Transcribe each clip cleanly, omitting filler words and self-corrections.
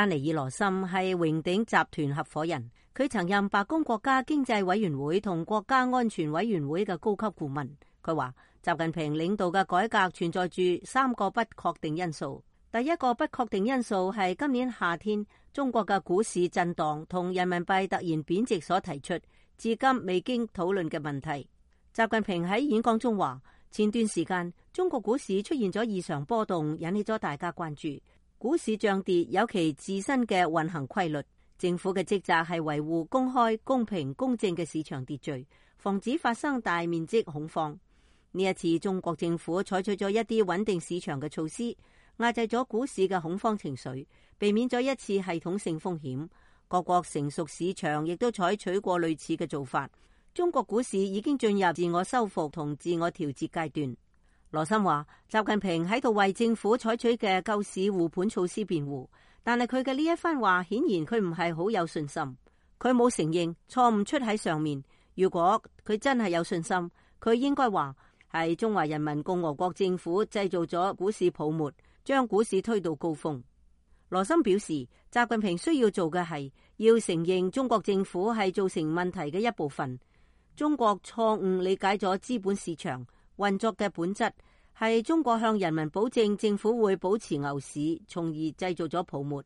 丹尼爾羅森係榮鼎集團合夥人，佢曾任白宮國家經濟委員會同國家安全委員會嘅高級顧問。佢話習近平領導嘅改革存在住3個不確定因素。第一個不確定因素係今年夏天中國嘅股市震盪同人民幣突然貶值所提出，至今未經討論嘅問題。習近平喺演講中話，前段時間中國股市出現咗異常波動，引起咗大家關注。股市漲跌有其自身嘅運行規律，政府嘅職責係維護公開、公平、公正嘅市場秩序，防止發生大面積恐慌。呢一次中國政府採取咗一啲穩定市場嘅措施，壓制咗股市嘅恐慌情緒，避免咗一次系統性風險。各國成熟市場亦都採取過類似嘅做法。中國股市已經進入自我修復同自我調節階段。羅森話，習近平喺度為政府採取嘅救市護盤措施辯護，但係佢嘅呢一番話顯然佢唔係好有信心。佢冇承認錯誤出喺上面。如果佢真係有信心，佢應該話係中華人民共和國政府製造咗股市泡沫，將股市推到高峰。羅森表示，習近平需要做嘅係要承認中國政府係造成問題嘅一部分。中國錯誤理解咗資本市場運作嘅本質，係中國向人民保證政府會保持牛市，從而製造咗泡沫。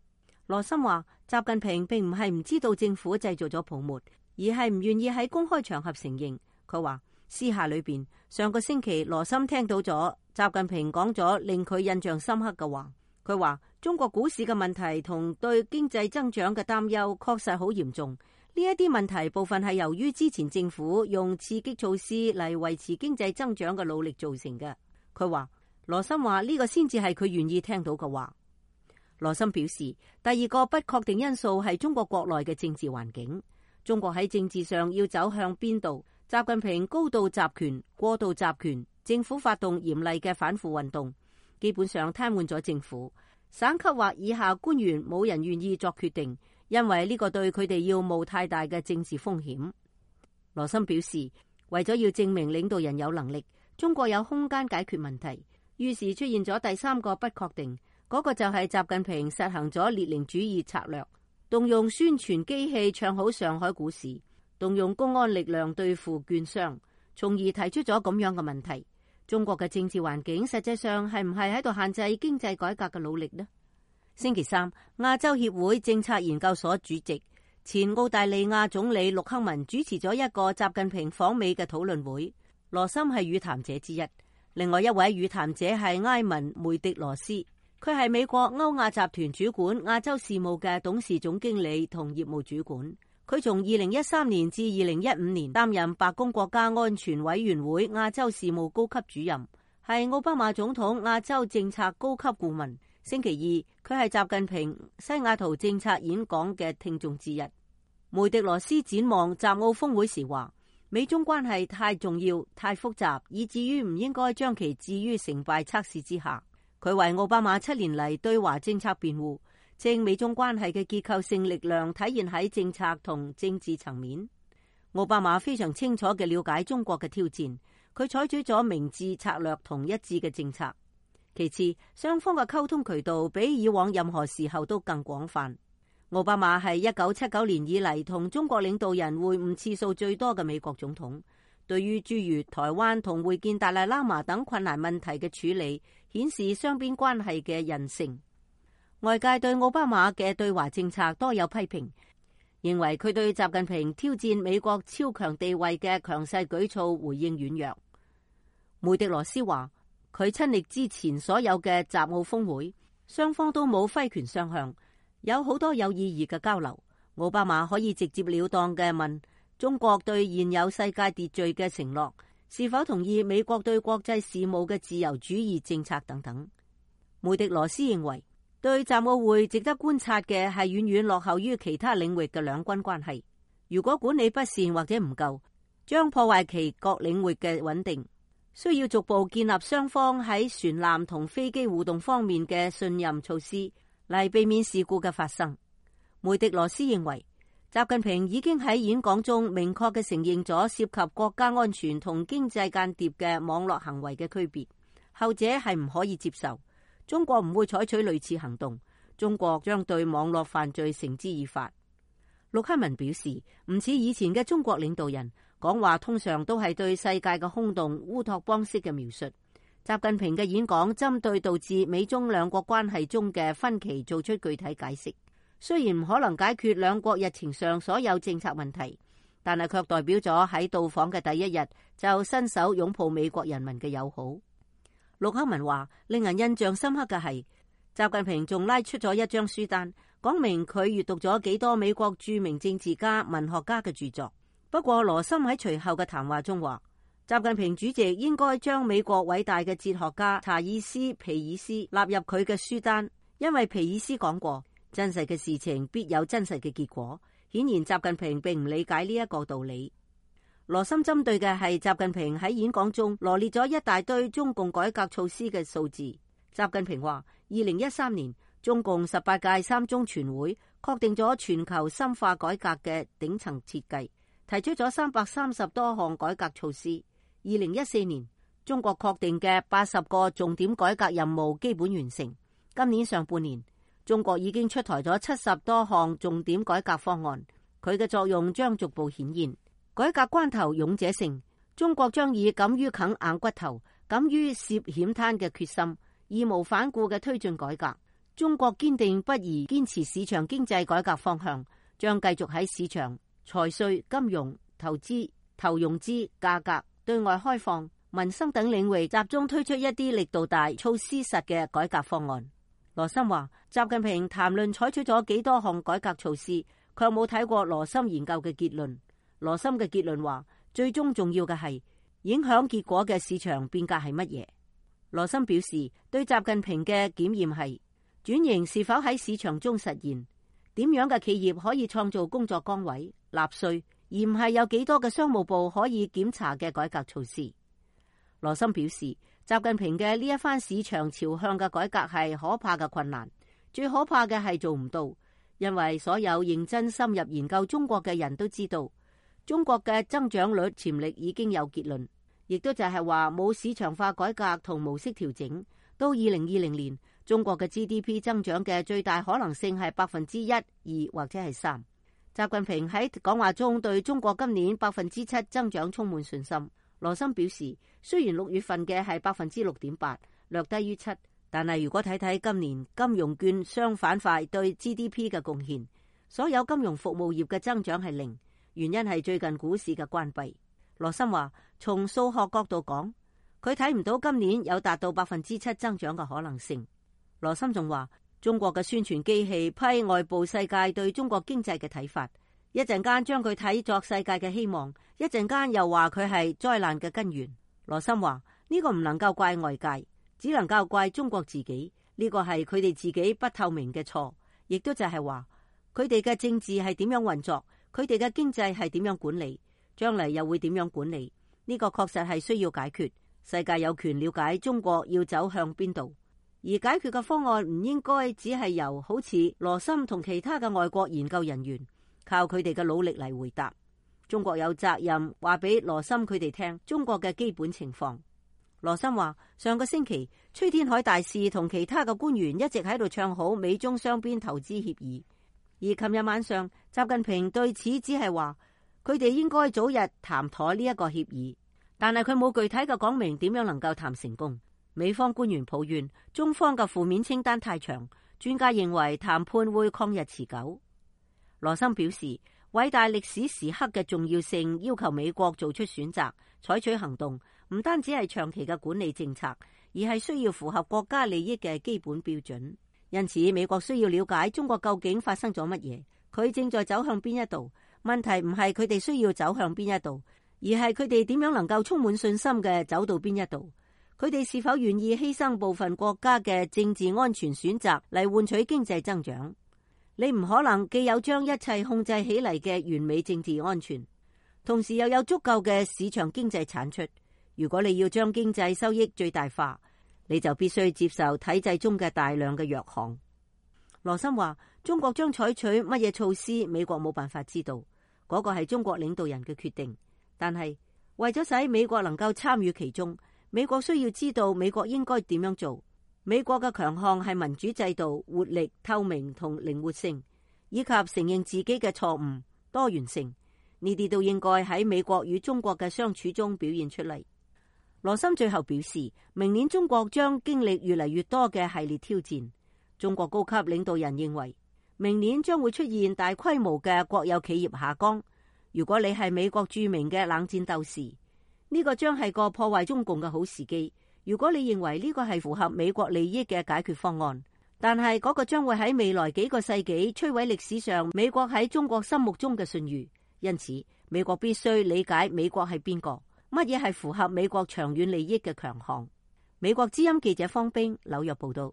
羅森話，習近平並唔係唔知道政府製造咗泡沫，而係唔願意喺公開場合承認。佢話私下裏邊，上個星期羅森聽到咗習近平講咗令佢印象深刻嘅話。佢話中國股市嘅問題同對經濟增長嘅擔憂確實好嚴重。呢一啲問題部分係由於之前政府用刺激措施嚟維持經濟增長嘅努力造成嘅。佢話羅森話呢個先至係佢願意聽到嘅話。羅森表示，第二個不確定因素係中國國內嘅政治環境。中國喺政治上要走向邊度？習近平高度集權、過度集權，政府發動嚴厲嘅反腐運動，基本上癱瘓咗政府。省級或以下官員冇人願意作決定，因為呢個對佢哋要冒太大嘅政治風險。羅森表示，為咗要證明領導人有能力，中國有空間解決問題，於是出現咗第3個不確定，嗰個就係習近平實行咗列寧主義策略，動用宣傳機器唱好上海股市，動用公安力量對付券商，從而提出咗咁樣嘅問題。中國嘅政治環境實際上係唔係喺度限制經濟改革嘅努力呢？星期三，亞洲協會政策研究所主席、前澳大利亞總理陸克文主持咗一個習近平訪美嘅討論會。羅森係與談者之一，另外一位與談者係埃文梅迪羅斯，佢係美國歐亞集團主管亞洲事務嘅董事總經理同業務主管。佢從2013年至2015年擔任白宮國家安全委員會亞洲事務高級主任，係奧巴馬總統亞洲政策高級顧問。星期二，佢係習近平西雅圖政策演講嘅聽眾之一。梅迪羅斯展望習奧峰會時話，美中關係太重要、太複雜，以至於唔應該將其置於成敗測試之下。佢為奧巴馬7年嚟對華政策辯護，稱美中關係嘅結構性力量體現喺政策同政治層面。奧巴馬非常清楚嘅了解中國嘅挑戰，佢採取咗明智策略同一致嘅政策。其次，雙方嘅溝通渠道比以往任何時候都更廣泛。奧巴馬係1979年以嚟同中國領導人會晤次數最多嘅美國總統，對於諸如台灣同會見達賴喇嘛等困難問題嘅處理，顯示雙邊關係嘅韌性。外界對奧巴馬嘅對華政策多有批評，認為佢對習近平挑戰美國超強地位嘅強勢舉措回應軟弱。梅迪羅斯話，佢親歷之前所有嘅習奧峰會，雙方都冇揮拳相向，有好多有意義嘅交流。奧巴馬可以直接了當嘅問中國對現有世界秩序嘅承諾，是否同意美國對國際事務嘅自由主義政策等等。梅迪羅斯認為，對習奧會值得觀察嘅係遠遠落後於其他領域嘅兩軍關係。如果管理不善或者唔夠，將破壞其各領域嘅穩定。需要逐步建立雙方喺船艦同飛機互動方面嘅信任措施，嚟避免事故嘅發生。梅迪羅斯認為，習近平已經喺演講中明確嘅承認咗涉及國家安全同經濟間諜嘅網絡行為嘅區別，後者係唔可以接受。中國唔會採取類似行動，中國將對網絡犯罪繩之以法。陸克文表示，唔似以前嘅中國領導人講話，通常都係對世界嘅空洞烏托邦式嘅描述。習近平嘅演講針對導致美中兩國關係中嘅分歧做出具體解釋，雖然唔可能解決兩國日程上所有政策問題，但係卻代表咗喺到訪嘅第一日就伸手擁抱美國人民嘅友好。陸克文話，令人印象深刻嘅係習近平仲拉出咗一張書單，講明佢閱讀咗幾多美國著名政治家、文學家嘅著作。不過羅森喺隨後嘅談話中話，習近平主席應該將美國偉大嘅哲學家查爾斯皮爾斯納入佢嘅書單，因為皮爾斯講過，真實嘅事情必有真實嘅結果。顯然習近平並唔理解呢一個道理。羅森針對嘅係習近平喺演講中羅列咗一大堆中共改革措施嘅數字。習近平話，2013年中共18屆三中全會確定咗全球深化改革嘅頂層設計，提出咗330多項改革措施。2014年中國確定嘅80個重點改革任務基本完成。今年上半年，中國已經出台咗70多項重點改革方案，佢嘅作用將逐步顯現。改革關頭勇者勝，中國將以敢於啃硬骨頭、敢於涉險灘嘅決心，義無反顧嘅推進改革。中國堅定不移堅持市場經濟改革方向，將繼續喺市場、財稅、金融、投資、投融資、價格、對外開放、民生等領域集中推出一啲力度大、措施實嘅改革方案。羅森話，習近平談論採取咗幾多項改革措施，卻冇睇過羅森研究嘅結論。羅森嘅結論話，最終重要嘅係影響結果嘅市場變革係乜嘢。羅森表示，對習近平嘅檢驗係轉型是否喺市場中實現，點樣嘅企業可以創造工作崗位、納稅，而唔係有幾多嘅商務部可以檢查嘅改革措施。羅森表示，習近平嘅呢一番市場朝向嘅改革係可怕嘅困難，最可怕嘅係做唔到，因為所有認真深入研究中國嘅人都知道，中國嘅增長率潛力已經有結論，亦都就係話冇市場化改革同模式調整，到2020年，中國嘅 GDP 增長嘅最大可能性係1%、2%或者係3%。習近平喺講話中對中國今年7%增長充滿信心。羅森表示，雖然6月份嘅係6.8%，略低於7%，但係如果睇睇今年金融券商板塊對 GDP 嘅貢獻，所有金融服務業嘅增長係0%，原因係最近股市嘅關閉。羅森話，從數學角度講，佢睇唔到今年有達到7%增長嘅可能性。羅森仲話，中國嘅宣傳機器批外部世界對中國經濟嘅睇法，一陣間將佢睇作世界嘅希望，一陣間又話佢係災難嘅根源。羅森話，呢個唔能夠怪外界，只能夠怪中國自己，呢個係佢哋自己不透明嘅錯，亦都就係話佢哋嘅政治係點樣運作，佢哋嘅經濟係點樣管理，將嚟又會點樣管理，呢個確實係需要解決。世界有權了解中國要走向邊度，而解決嘅方案唔應該只係由好似羅森同其他嘅外國研究人員靠佢哋嘅努力嚟回答。中國有責任話俾羅森佢哋聽中國嘅基本情況。羅森話，上個星期崔天凱大使同其他嘅官員一直喺度唱好美中雙邊投資協議，而琴日晚上習近平對此只係話佢哋應該早日談妥呢一個協議，但係佢冇具體嘅講明點樣能夠談成功。美方官員抱怨中方嘅負面清單太長，專家認為談判會曠日持久。羅森表示，偉大歷史時刻嘅重要性要求美國做出選擇，採取行動，唔單止係長期嘅管理政策，而係需要符合國家利益嘅基本標準。因此，美國需要了解中國究竟發生咗乜嘢，佢正在走向邊一度。問題唔係佢哋需要走向邊一度，而係佢哋點樣能夠充滿信心嘅走到邊一度。佢哋是否願意犧牲部分國家嘅政治安全選擇嚟換取經濟增長？你唔可能既有將一切控制起嚟嘅完美政治安全，同時又有足夠嘅市場經濟產出。如果你要將經濟收益最大化，你就必須接受體制中嘅大量嘅弱項。羅森話，中國將採取乜嘢措施，美國冇辦法知道，嗰個係中國領導人嘅決定。但係為咗使美國能夠參與其中，美國需要知道美國應該點樣做。美國嘅強項係民主制度、活力、透明同靈活性，以及承認自己嘅錯誤、多元性。呢啲都應該喺美國與中國嘅相處中表現出嚟。羅森最後表示，明年中國將經歷越嚟越多嘅系列挑戰。中國高級領導人認為，明年將會出現大規模嘅國有企業下崗。如果你係美國著名嘅冷戰鬥士，呢個將係個破壞中共嘅好時機。如果你認為呢個係符合美國利益嘅解決方案，但係嗰個將會喺未來幾個世紀摧毀歷史上美國喺中國心目中嘅信譽。因此，美國必須理解美國係邊個，乜嘢係符合美國長遠利益嘅強項。美國之音記者方冰，紐約報道。